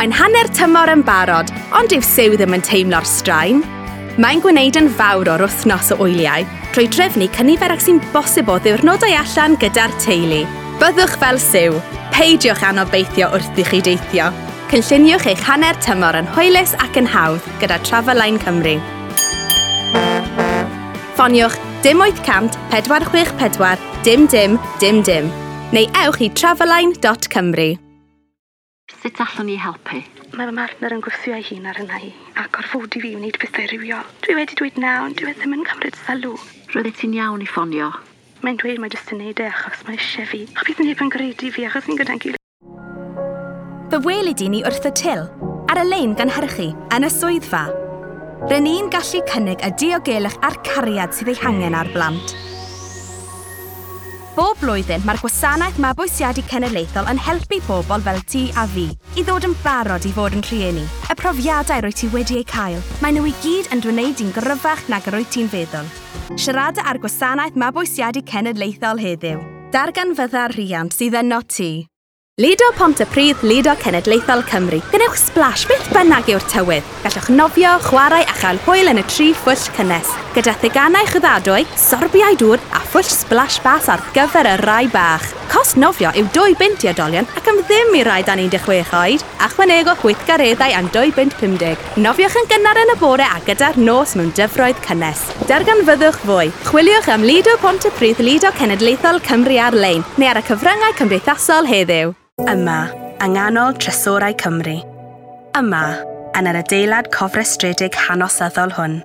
Mae'n hanner tymor yn barod, ond dyw Sue ddim yn teimlo'r straen. Mae'n gwneud yn fawr o'r wythnos o wyliau, trwy drefnu cynifer ag sy'n bosib o ddiwrnodau allan gyda'r teulu. Byddwch fel Sue, peidiwch anobeithio wrth i chi deithio. Cynlluniwch eich hanner tymor yn hwylus ac yn hawdd gyda Traveline Cymru. Ffoniwch dim 800 464 dim dim dim dim neu ewch i traveline.cymru. Sut allwn ni helpu? Mae fy mhartner yn gwthio ei hun ar yna i a gorfodi fi i wneud pethau rhywiol. Dwi wedi dweud na, ond dwi e ddim yn cymryd sylw. Roeddet ti'n iawn i ffonio. Mae'n dweud mae jyst yn neud e achos mae eisiau fi. A bydd neb yn gredu fi achos ni'n gyda'n gilydd. Fe weli di ni wrth y til, ar y lein gynhyrchu, yn y swyddfa. R'yn ni'n gallu cynnig y diogelwch a'r cariad sydd ei hangen ar blant. Bob blwyddyn, mae'r Gwasanaeth Mabwysiadu Cenedlaethol yn helpu pobl fel ti a fi i ddod yn barod i fod yn rhieni. Y profiadau rwy ti wedi eu cael, maen nhw i gyd yn dwneud i'n gryfach nag yr wyt ti'n feddwl. Siarada â'r Gwasanaeth Mabwysiadu Cenedlaethol heddiw. Darganfydda'r rhiant sydd yno ti. Lido Pontypridd, Lido Cenedlaethol Cymru. Gwnewch splash beth bynnag yw'r tywydd. Gallwch nofio, chwarae a chael hwyl yn y tri phwll cynnes. Gyda theganau chwyddadwy, sorbiau dŵr a phwll splash bas ar gyfer y rai bach. Cost nofio yw 2 bunt i oedolion ac am ddim i rai dan 16 oed. Ychwanegwch weithgareddau am 2 bunt 50. Nofiwch yn gynnar yn y bore a gyda'r nos mewn dyfroedd cynnes. Darganfyddwch fwy. Chwiliwch am Lido Pontypridd Lido Cenedlaethol Cymru ar-lein neu ar y cyfryngau cymdeithasol heddiw. Yma, yng nghanol Trysorau Cymru. Yma, yn yr adeilad cofrestredig hanesyddol hwn.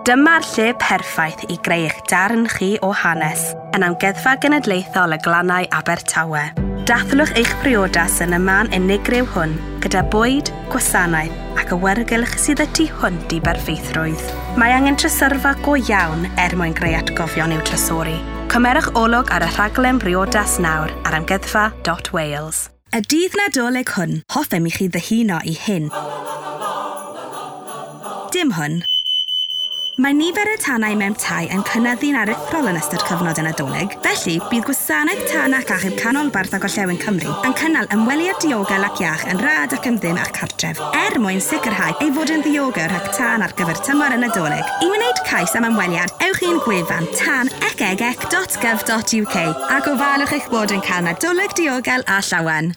Dyma'r lle perffaith i greu eich darn chi o hanes yn Amgueddfa Genedlaethol y Glannau Abertawe. Dathlwch eich priodas yn y man unigryw hwn gyda bwyd, gwasanaeth ac awyrgylch sydd y tu hwnt i berffeithrwydd. Mae angen trysorfa go iawn er mwyn greu atgofion i'w trysori. Cymerwch olwg ar y rhaglen briodas nawr ar amgueddfa.wales. Y dydd Nadolig hwn, hoffem i chi ddyhuno i hyn. Dim hwn. Mae nifer y tanau mewn tai yn cynyddu'n aruthrol yn ystod cyfnod y Nadolig, felly bydd Gwasanaeth Tân ac Achub Canolbarth a Gorllewin Cymru yn cynnal ymweliad diogel ac iach yn rhad ac am ddim â'ch cartref, er mwyn sicrhau ei fod yn ddiogel rhag tân ar gyfer tymor y Nadolig. I wneud cais am ymweliad, ewch i'n gwefan tanecegec.gov.uk a gofalwch eich bod yn cael Nadolig diogel a llawen.